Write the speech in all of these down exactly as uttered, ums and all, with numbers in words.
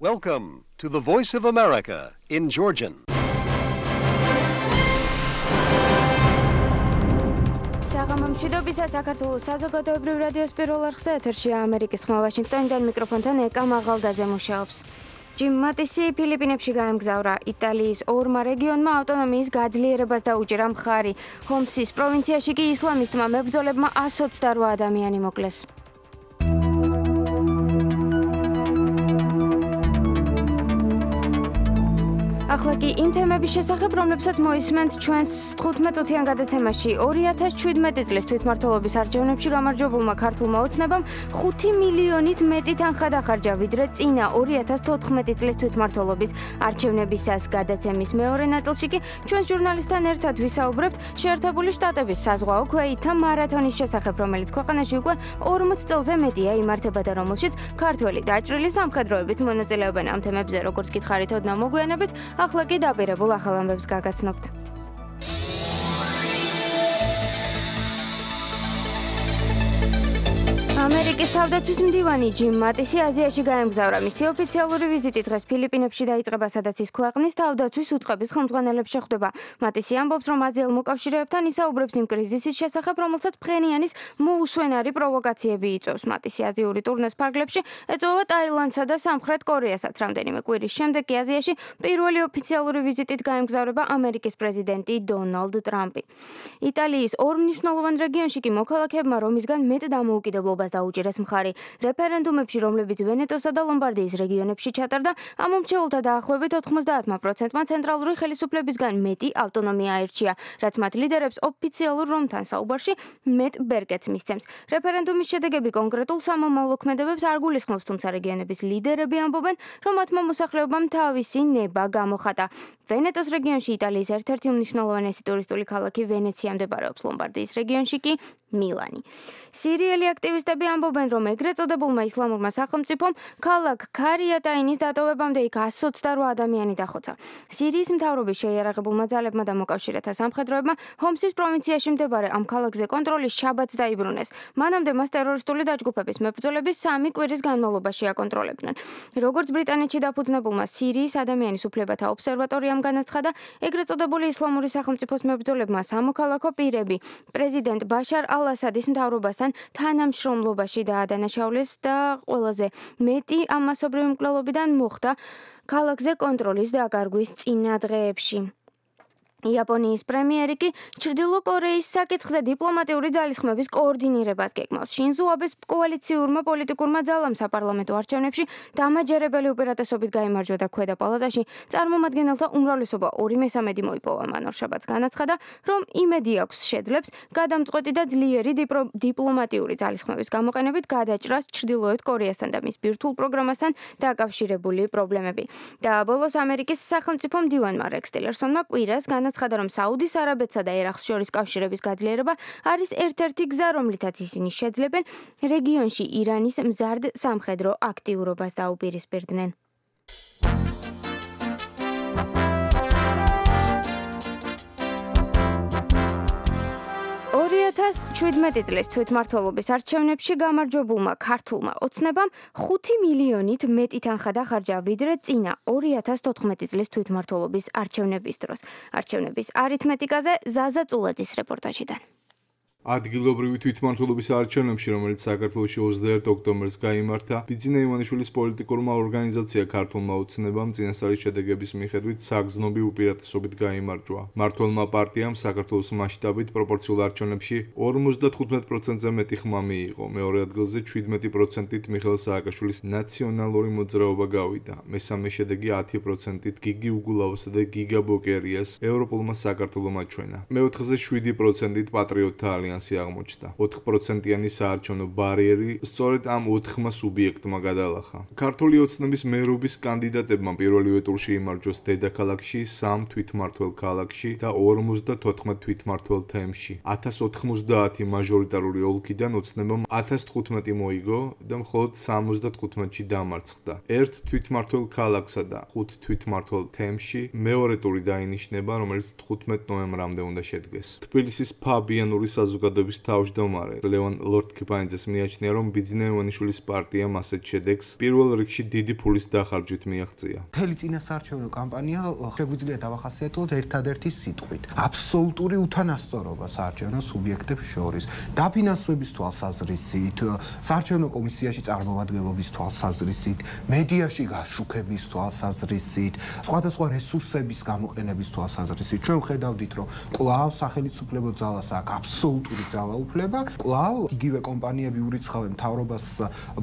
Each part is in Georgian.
Welcome to the Voice of America in Georgian. მშვიდობისა საქართველოს საზოგადოებრივ რადიოს პირველ არხზე ეთერშია ამერიკის ხმა ვაშინგტონიდან მიკროფონთან ეკა მაღალდაძე მუშაობს. ჯიმ მატისი ფილიპინებში გაემგზავრა. იტალიის ორმა რეგიონმა ავტონომიის გაძლიერებას დაუჭირა მხარი. ჰომსის პროვინციაში კი ისლამისტმა მებრძოლებმა ას ოცდაოთხ ადამიანი მოკლეს. ახლა კი იმ თემების შესახებ, რომლებსაც მოისმენთ ჩვენს თხუთმეტ-წუთიან გადაცემაში. ორი ათას შვიდმეტი წლის თვითმმართველობის არჩევნებში გამარჯვებულმა ქართულმა ოცნებამ ხუთი მილიონით მეტი თანხა დახარჯა, ვიდრე წინა ორი ათას თოთხმეტი წლის თვითმმართველობის არჩევნებისას. გადაცემის მეორე ნაწილში კი ჩვენს ჟურნალისტთან ერთად ვისაუბრებთ შეერთებული შტატების საზღვაო ქვეითთა მარათონის შესახებ, რომელიც ქვეყანაში უკვე ორმოც წელზე მეტია იმართება და რომელშიც ქართველი დაჭრილი სამხედროებით მონაწილეობენ. ამ თემებზე როგორც გითხარით, ოდნავ მოგვიანებით. ახლა კი დაპირებულ ახალ ამბებს გაგაცნობთ. ამერიკის თავდაცვის მდივანი ჯიმ მატისი აზიაში გაემგზავრა. მისი ოფიციალური ვიზიტი დღეს ფილიპინებში დაიწყება, სადაც ის ქვეყნის თავდაცვის უწყების ხელმძღვანელებს შეხვდება. მატისი ამბობს, რომ აზიელ მოკავშირეებთან ისაუბრებს იმ კრიზისის შესახებ, რომელსაც ფხენიანის მოუსვენარი პროვოკაციები იწვევს. მატისი აზიური ტურნეს ფარგლებში ეწევა ტაილანდსა და სამხრეთ კორეასაც. რამდენიმე კვირის შემდეგ კი აზიაში პირველი ოფიციალური ვიზიტით გაემგზავრება ამერიკის პრეზიდენტი დონალდ ტრამპი. იტალიის ორ მნიშვნელოვან რეგიონში კი მოქალაქეებმა რომისგან მეტ დამოუკიდებლობას დაუჭირეს მხარი. რეფერენდუმებში, რომლებიც ვენეტოსა და ლომბარდიის რეგიონებში ჩატარდა, ამ მომრჩეულთა დაახლოებით ოთხმოცდაათმა პროცენტმა ცენტრალური ხელისუფლებისგან მეტი ავტონომია აირჩია, რაც მათ ლიდერებს ოფიციალურ რომთან საუბარში მეტ ბერკეტს მისცემს. რეფერენდუმის შედეგები კონკრეტულ სამომავლო ქმედებებს არ გულისხმობს, თუმცა რეგიონების ლიდერები ამბობენ, რომ მათმა მოსახლეობამ თავისი ნება გამოხატა. ვენეტოს რეგიონში იტალიის ერთ-ერთი უმნიშვნელოვანესი ტურისტული ქალაქი ვენეცია მდებარეობს, ლომბარდიის რეგიონში კი მილანი. სირიელი აქტივისტები ამბობენ, რომ ეგრეთ წოდებულმა ისლამურმა სახელმწიფომ ქალაქ ქარიატაინის დატოვებამდე იქ ას ოცდაოთხ ადამიანი დახოცა. სირიის მთავრობის შეიარაღებულმა ძალებმა და მოკავშირეთა სამხედროებმა ჰომსის პროვინციაში მდებარე ამ ქალაქზე კონტროლის შაბათს დაიბრუნეს. მანამდე მას ტერორისტული დაჯგუფების მებრძოლები სამი კვირის განმავლობაში აკონტროლებდნენ. როგორც ბრიტანეთში დაფუძნებულმა სირიის ადამიანის უფლებათა ობსერვატორიამ განაცხადა, ეგრეთ წოდებული ისლამური სახელმწიფოს მებრძოლებმა სამოქალაქო პირები პრეზიდენტ ბაშარ ალ-ასადის მთავრობასთან თანამშრომლობაში დაადანაშაულეს და ყველაზე მეტი ამ მასობრივი მკვლელობიდან მოხდა ქალაქზე კონტროლის დაკარგვის წინა დღეებში. იაპონიის პრემიერი კი ჩრდილო კორეის საკითხზე დიპლომატიური ძალისხმების კოორდინირებას გეგმავს. შინზო აბეს კოალიციურმა პოლიტიკურმა ძალამ საპარლამენტო არჩევნებში დამაჯერებელი უპირატესობით გაიმარჯვა და ქვედა პალატაში წარმომადგენელთა უმრავლესობა ორი მესამედი მოიპოვა. მან ორშაბათს განაცხადა, რომ იმედი აქვს შეძლებს გადამწყვეტი და ძლიერი დიპლომატიური ძალისხმების გამოყენებით გადაჭრას ჩრდილოეთ კორეასთან და მის ბირთვულ პროგრამასთან დაკავშირებული პრობლემები. და ბოლოს ამერიკის სახელმწიფო მდივანმა რექს ტილერსონმა კვირას განაცხადა, რომ საუდის არაბეთსა და ერაყს შორის კავშირების გაძლიერება არის ერთ-ერთი გზა, რომლითაც ისინი შეძლებენ რეგიონში ირანის მზარდ სამხედრო აქტიურობას დაუპირისპირდნენ. ორი ათას შვიდმეტი წლის თვითმმართველობის არჩევნებში გამარჯვებულმა ქართულმა ოცნებამ ხუთი მილიონით მეტი თანხა დახარჯა, ვიდრე წინა ორი ათას თოთხმეტი წლის თვითმმართველობის არჩევნების დროს. არჩევნების არითმეტიკაზე ზაზა წულაძის რეპორტაჟიდან. ადგილობრივი თვითმმართველობის არჩევნებში, რომელიც საქართველოში ოცდაერთი ოქტომბერს გაიმართა, ბიძინა ივანიშვილის პოლიტიკურმა ორგანიზაცია ქართულმა ოცნებამ წინასწარი შედეგების მიხედვით საგრძნობი უპირატესობით გაიმარჯვა. მმართველმა პარტიამ საქართველოს მასშტაბით პროპორციულ არჩევნებში ორმოცდათხუთმეტ პროცენტზე მეტი ხმა მიიღო. მეორე ადგილზე შვიდმეტი პროცენტით მიხეილ სააკაშვილის ნაციონალური მოძრაობა გავიდა. მესამე შედეგი ათი პროცენტით გიგი უგულავასა და გიგა ბოკერიას ევროპულმა საქართველომ აჩვენა. მეოთხეზე შვიდი პროცენტით პატრიოტთა ალიანსი აღმოჩნდა. ოთხ პროცენტიანი საარჩევნო ბარიერი სწორედ ამ ოთხმა სუბიექტმა გადალახა. ქართული ოცნების მერობის კანდიდატებმა პირველივე ტურში იმარჯვეს დედაქალაქში, სამ თვითმმართველ ქალაქში და ორმოცდათოთხმეტ თვითმმართველ თემში. ათას ოთხმოცდაათი მაჟორიტარული ოლქიდან ოცნებამ ათას თხუთმეტი მოიგო და მხოლოდ სამოცდათხუთმეტში დამარცხდა. ერთ თვითმმართველ ქალაქსა და ხუთ თვითმმართველ თემში მეორე ტური დაინიშნება, რომელიც თხუთმეტ ნოემბრამდე უნდა შედგეს. თბილისის ფაბიანური საზოგადოებრივი საზოგადოების თავმჯდომარე ლევან ლორთქიფანიძეს მიაჩნია, რომ ბიძინა ივანიშვილის პარტიამ ასეთ შედეგს პირველ რიგში დიდი ფულის დახარჯვით მიაღწია. მთელი წინასაარჩევნო კამპანია შეგვიძლია დავახასიათოთ ერთადერთი სიტყვით. აბსოლუტური უთანასწორობა საარჩევნო სუბიექტებს შორის. დაფინანსების თვალსაზრისით, საარჩევნო კომისიაში წარმომადგენლობის თვალსაზრისით, მედიაში გაშუქების თვალსაზრისით, სხვადასხვა რესურსების გამოყენების თვალსაზრისით. ჩვენ ვხედავდით, რომ კვლავ სახელმწიფო ძალას აქვს აბსოლუტური ძალაუფლება, კვლავ იგივე კომპანიები ურიცხავენ მთავრობას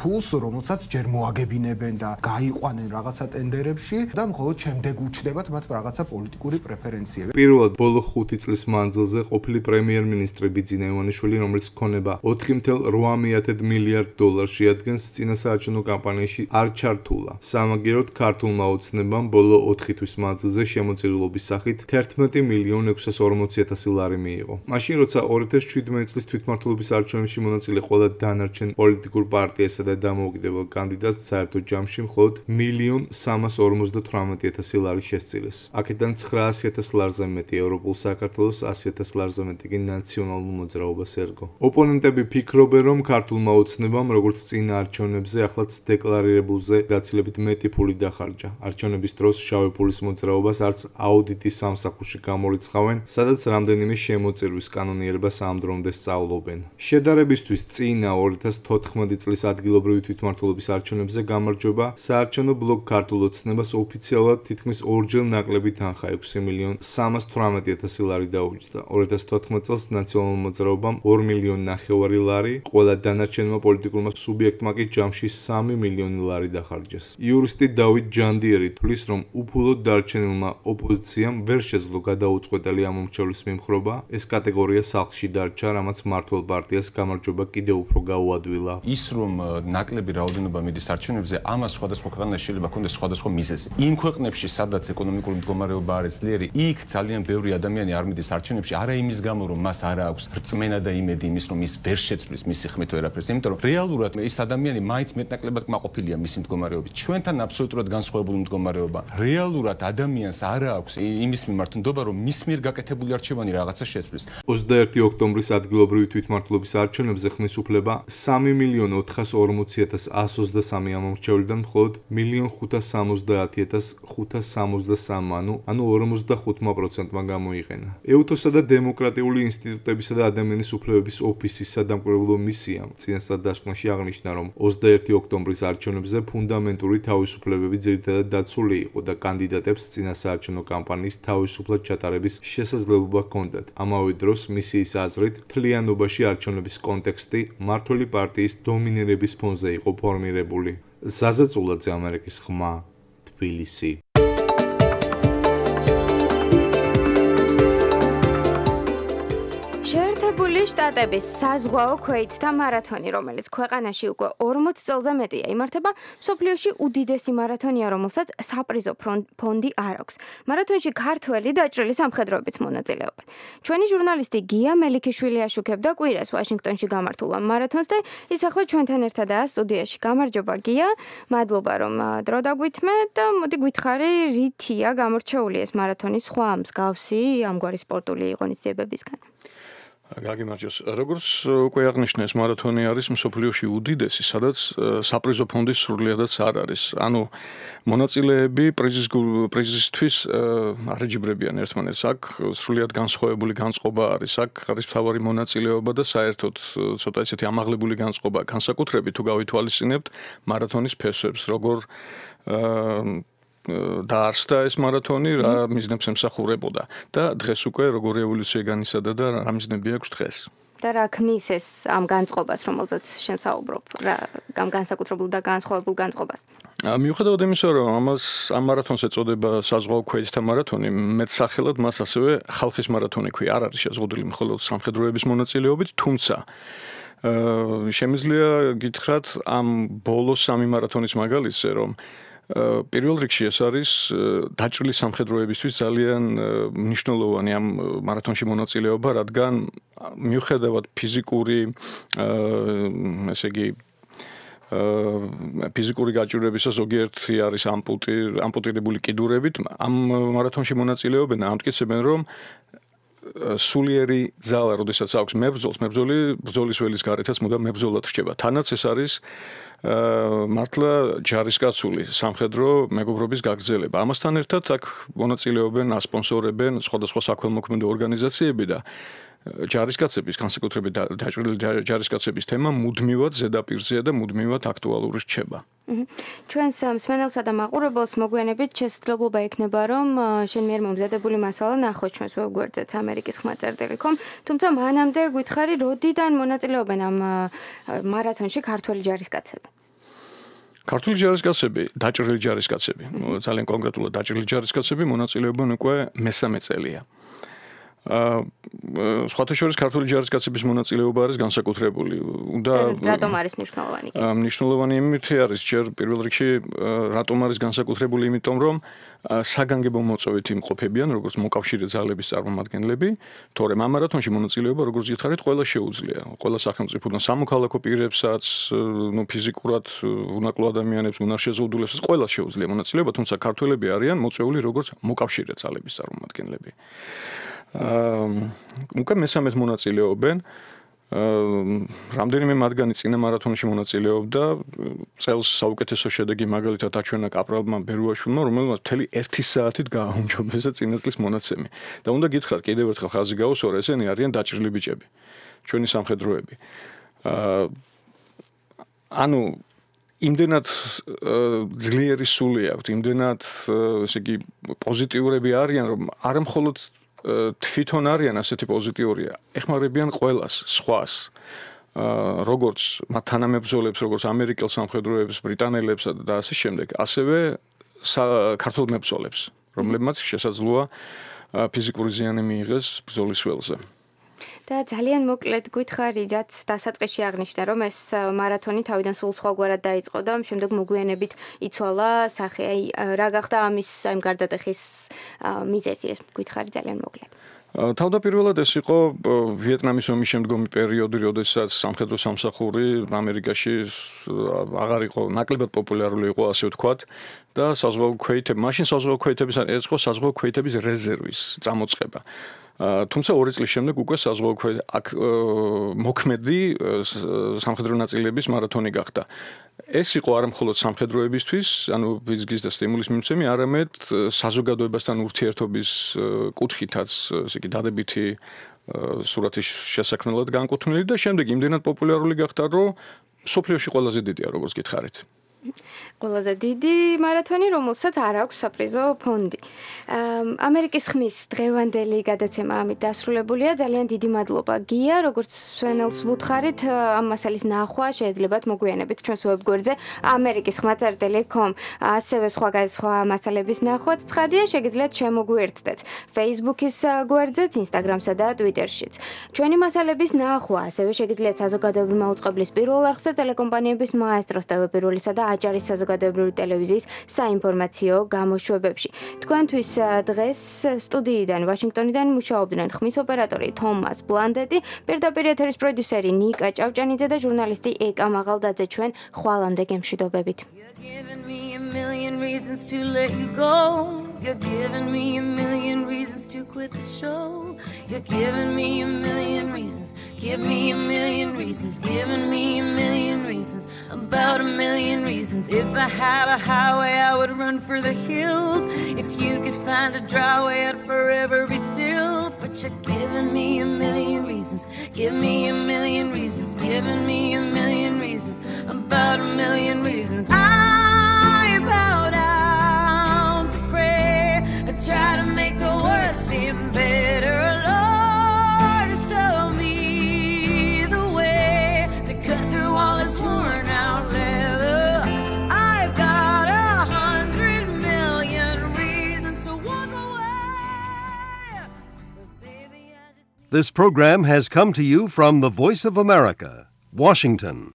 ფულს, რომელსაც ჯერ მოაგებინებენ და გაიყვანენ რაღაცა ტენდერებში და მხოლოდ შემდეგ უჩნდებათ მათ რაღაცა პოლიტიკური პრეფერენციები. პირველად ბოლო ხუთი წლის მანძილზე ყოფილი პრემიერ-მინისტრი ბიძინა ივანიშვილი, რომელიც ქონება ოთხი წუთი ორმოცდაათი მილიარდ დოლარს შეადგენს, წინასაარჩევნო კამპანიაში არ ჩართულა. სამაგიეროდ ქართულმა ოცნებამ ბოლო ოთხი თვის მანძილზე შემოწირულობის სახით თერთმეტი მილიონ ექვსას ორმოცი ათასი ლარი მიიღო. მაშინ როცა ორი ათას შვიდმეტი წლის თვითმმართველობის არჩევნებში მონაწილე ყველა დანარჩენ პოლიტიკურ პარტიასა და დამოუკიდებელ კანდიდატს საერთო ჯამში მხოლოდ მილიონ სამას ორმოცდათვრამეტი ათასი ლარი შესწირეს. აქედან ცხრაასი ათას ლარზე მეტი ევროპულ საქართველოს, ასი ათას ლარზე მეტი კი ნაციონალურ მოძრაობას ერგო. ოპონენტები ფიქრობენ, რომ ქართულმა ოცნებამ როგორც წინა არჩევნებზე ახლაც დეკლარირებულზე გაცილებით მეტი ფული დახარჯა. არჩევნების დროს შავი ფულის მოძრაობას არც აუდიტის სამსახურში გამორიცხავენ, სადაც რამდენიმე შემოწირვის კანონიერებას ამ დრომდე სწავლობენ. შედარებისთვის წინა ორი ათას თოთხმეტი წლის ადგილობრივი თვითმმართველობის არჩევნებზე გამარჯვება საარჩევნო ბლოკ ქართულ ოცნებას ოფიციალურად თითქმის ორჯერ ნაკლები თანხა ექვსი მილიონ სამას თვრამეტი ათასი ლარი დაუჯდა. ორი ათას თოთხმეტ წელს ნაციონალურ მოძრაობამ ორი მილიონი ნახევარი ლარი, ყველა დანარჩენმა პოლიტიკურმა სუბიექტმა კი ჯამში სამი მილიონი ლარი დახარჯეს. იურისტი დავით ჯანდიერი თვლის, რომ უფულოდ დარჩენილმა ოპოზიციამ ვერ შეძლო გადაუწყვეტელი ამომრჩევლის მიმხრობა, ეს კატეგორია სახლში დარჩა, რამაც მმართველ პარტიას გამარჯვება კიდევ უფრო გაუადვილა. ის რომ ნაკლები რაოდენობა მიდის არჩევნებზე, ამას სხვადასხვა ქვეყანაში შეიძლება ქონდეს სხვადასხვა მიზეზი. იმ ქვეყნებში, სადაც ეკონომიკური მდგომარეობა არის ძლიერი, იქ ძალიან ბევრი ადამიანი არ მიდის არჩევნებში, არა იმის გამო, რომ მას არ აქვს რწმენა და იმედი იმის, რომ ის ვერ შეცვლის მისი ხმით ვერაფერს, იმიტომ რომ რეალურად ის ადამიანი მაინც მეტნაკლებად კმაყოფილია მისი მდგომარეობით. ჩვენთან აბსოლუტურად განსხვავებული მდგომარეობა. რეალურად ადამიანს არ აქვს იმის მიმართ ნდობა, რომ მის მიერ გაკეთებული არჩევანი რაღაცა შეცვლის. ოცდაერთი ოქტომბრის ადგილობრივი თვითმმართველობის არჩევნებზე ხმის უფლება სამი მილიონ ოთხას ორმოცი ათას ასს ოცდასამი ამომრჩევლიდან მხოლოდ მილიონ ხუთას სამოცდაათი ათას ხუთას სამოცდასამი, ანუ ანუ ორმოცდახუთმა პროცენტმა გამოიყენა. ეუთოსა და დემოკრატიული ინსტიტუტებისა და ადამიანის უფლებების ოფისის სადამკვირვებლო მისიამ წინასწარ დასკვნაში აღნიშნა, რომ ოცდაერთი ოქტომბრის არჩევნებზე ფუნდამენტური თავისუფლებები ძირითადად დაცული იყო და კანდიდატებს წინასაარჩევნო კამპანიის თავისუფლად ჩატარების შესაძლებლობა ჰქონდათ. ამავე დროს მისიის აზრით, მთლიანობაში არჩევნების კონტექსტი მმართველი პარტიის დომინირების ფონზე იყო ფორმირებული. ზაზა წულაძე, ამერიკის ხმა, თბილისი. შეერთებული შტატების საზღვაო ქვეითთა მარათონი, რომელიც ქვეყანაში უკვე ორმოც წელზე მეტია იმართება, მსოფლიოში უდიდესი მარათონია, რომელსაც საპრიზო ფონდი არ აქვს. მარათონში ქართველი დაჭრილი სამხედროებიც მონაწილეობენ. ჩვენი ჟურნალისტი გია მელიქიშვილი აშუქებდა კვირას ვაშინგტონში გამართულ ამ მარათონს და ის ახლა ჩვენთან ერთადაა სტუდიაში. გამარჯობა გია, მადლობა რომ დრო დაგვითმე და მოდი გითხარი, რითია გამორჩეული ეს მარათონის სხვა მსგავსი ამგვარი სპორტული ღონისძიებებისგან. გაგიმარჯოს. როგორც უკვე აღნიშნე, ეს მარათონი არის მსოფლიოში უდიდესი, სადაც საპრიზო ფონდი სრულიადაც არ არის. ანუ მონაწილეები პრიზისთვის არეჯიბრებიან ერთმანეთს. აქ სრულიად განსხვავებული განწყობა არის. აქ არის მთავარი მონაწილეობა და საერთოდ ცოტა ისეთი ამაღლებული განწყობა. განსაკუთრებით თუ გავითვალისწინებთ მარათონის ფესვებს, როგორ დაარსდა ეს მარათონი, რა მიზნებს ემსახურებოდა და დღეს უკვე როგორი ევოლუცია განიცადა და რა მიზნები აქვს დღეს. და რა ქმნის ეს ამ განწყობას, რომელზეც შენ საუბრობ, რა ამ განსაკუთრებულ და განსხვავებულ განწყობას? მიუხედავად იმისა, რომ ამას ამ მარათონს ეწოდება საზღვაო ქვეითთა მარათონი, მეტსახელად მას ასევე ხალხის მარათონი ქვია. არ არის შეზღუდული მხოლოდ სამხედროების მონაწილეობით, თუმცა შემიძლია გითხრათ ამ ბოლო სამი მარათონის მაგალითზე, რომ პირველ რიგში ეს არის დაჭრილი სამხედროებისთვის ძალიან მნიშვნელოვანი ამ მარათონში მონაწილეობა, რადგან მიუხედავად ფიზიკური, ესე იგი, ფიზიკური გაჭირვებისა ზოგიერთი არის ამპუტირებული კიდურებით, ამ მარათონში მონაწილეობენ ამტკიცებენ, რომ სულიერი ძალა, როდესაც აქვს მებრძოლს, მებრძოლი ბრძოლის ველის გარეთაც მუდამ მებრძოლად რჩება. თანაც ეს არის მართლა ჯარისკაცული სამხედრო მეგობრობის გაგრძელება. ამასთან ერთად აქ მონაწილეობენ, ასპონსორებენ სხვადასხვა საქველმოქმედო ორგანიზაციები და ჯარისკაცების, განსაკუთრებით დაჭრილი ჯარისკაცების თემა მუდმივად ზედაპირზეა და მუდმივად აქტუალური რჩება. ჩვენს მსმენელსა და მაყურებელს მოგვიანებით შესაძლებლობა ექნება, რომ შენ მიერ მომზადებული მასალა ნახოს ჩვენს ვებგვერდზეც ამერიკის ხმა წერტილი კომ, თუმცა მანამდე გითხარი, როდიდან მონაწილეობენ ამ მარათონში ქართველი ჯარისკაცები? ქართული ჯარისკაცები, დაჭრილი ჯარისკაცები, ძალიან კონკრეტულად დაჭრილი ჯარისკაცები მონაწილეობენ უკვე მესამე წელია. სხვათა შორის ქართული ჯარისკაცების მონაწილეობა არის განსაკუთრებული. უნდა რატომ არის მნიშვნელოვანი? მნიშვნელოვანი იმითი არის, ჯერ პირველ რიგში რატომ არის განსაკუთრებული, იმიტომ რომ საგანგებო მოწვევით იმყოფებიან, როგორც მოკავშირე ძალების წარმომადგენლები, თორემ ამ მარათონში მონაწილეობა, როგორც გითხარით, ყველა შეუძლია. ყველა სახელმწიფოდან სამოქალაქო პირებსაც, ნუ ფიზიკურად უნაკლო ადამიანებს, უნარშეზღუდულებს, ყველას შეუძლია მონაწილეობა, თუმცა ქართველები არიან მოწვეული როგორც მოკავშირე ძალების წარმომადგენლები. უკვე მესამეს მონაწილეობენ. რამდენიმე მათგანი წინა მარათონში მონაწილეობდა. წელს საუკეთესო შედეგი მაგალითად აჩვენა კაპრალმა ბერუაშვილმა, რომელმაც მთელი ერთი საათით გააუმჯობესა წინა წლის მონაცემი. და უნდა გითხრათ კიდევ ერთხელ ხაზი გაუსვრო, ესენი არიან დაჭრილი ბიჭები, ჩვენი სამხედროები. ანუ იმდენად ძლიერი სული აქვთ, იმდენად ესე იგი პოზიტიურები არიან, რომ არა მხოლოდ თვითონ არიან ასეთი პოზიტიურია, ეხმარებიან ყველას, სხვას. როგორც მათ თანამებრძოლებს, როგორც ამერიკელ სამხედროებს, ბრიტანელებსა და ასე შემდეგ, ასევე ქართულ მებრძოლებს, რომლებმაც შესაძლოა ფიზიკური ზიანი მიიღეს ბრძოლის ველზე. და ძალიან მოკლედ გითხარი, რაც დასაწყისში აღნიშნა, რომ ეს მარათონი თავიდან სულ სხვაგვარად დაიწყო და შემდეგ მოგვიანებით იცვალა სახე. აი, რა გახდა ამის ამ გარდატეხის მიზეზი, ეს გითხარი ძალიან მოკლედ. თავდაპირველად ეს იყო ვიეტნამის ომის შემდგომი პერიოდი, როდესაც სამხედრო სამსახური ამერიკაში აღარ იყო ნაკლებად პოპულარული იყო, ასე ვთქვათ, და საზღვაო ქვეითები, მაშინ საზღვაო ქვეითების ეწყო საზღვაო ქვეითების რეზერვის წამოწყება. თუმცა ორი წლის შემდეგ უკვე საზღვაო მოქმედი სამხედრო ნაწილების მარათონი გახდა. ეს იყო არა მხოლოდ სამხედროებისთვის, ანუ ვიზგის და სტიმულის მიმცემი, არამედ საზოგადოებასთან ურთიერთობის კუთხითაც, ესე იგი დადებითი სურათის შესაქმნელად განკუთვნილი და შემდეგ იმდენად პოპულარული გახდა, რომ სოფლიოში ყველაზე დიდია, როგორც გითხარით. ყველაზე დიდი მარათონი, რომელსაც არ აქვს საპრიზო ფონდი. ამერიკის ხმის დღევანდელი გადაცემა ამით დასრულებულია. ძალიან დიდი მადლობა გია, როგორც სვენელს ვუთხარით, ამ მასალის ნახვა შეეძლებათ მოგვიანებით ჩვენს ვებგვერდზე ამერიკის ხმა წერტილი კომ. ასევე სხვა სხვა მასალების ნახვაც ცხადია, შეგიძლიათ შემოგვიერთდეთ Facebook-ის გვერდზეც, Instagram-სა და Twitter-შიც. ჩვენი მასალების ნახვა ასევე შეგიძლიათ საზოგადოებრივ მაუწყებლის პირველ არხზე ტელეკომპანიების მაესტროს ტევ-პირველისა და აჭარის საზოგადოებრივი ტელევიზიის საინფორმაციო გამოშვებებში. თქვენთვის დღეს სტუდიიდან ვაშინგტონიდან მუშაობდნენ ხმის ოპერატორი თომას ბლანდეტი, პირდაპირ ეთერის პროდიუსერი ნიკა ჭავჭანიძე და ჟურნალისტი ეკა მაღალდაძე. ჩვენ ხვალამდე გემშვიდობებით. You're giving me a million reasons to quit the show. You're giving me a million reasons. Give me a million reasons. Giving me a million reasons. About a million reasons. If I had a highway, I would run for the hills. If you could find a dry way, I'd forever be still. But you're giving me a million reasons. Give me a million reasons. Giving me a million reasons. About a million reasons. I bow down to pray. I try to make the worst seem better. Lord, show me the way to cut through all this worn out leather. I've got a hundred million reasons to walk away. But baby, I just... This program has come to you from the Voice of America, Washington.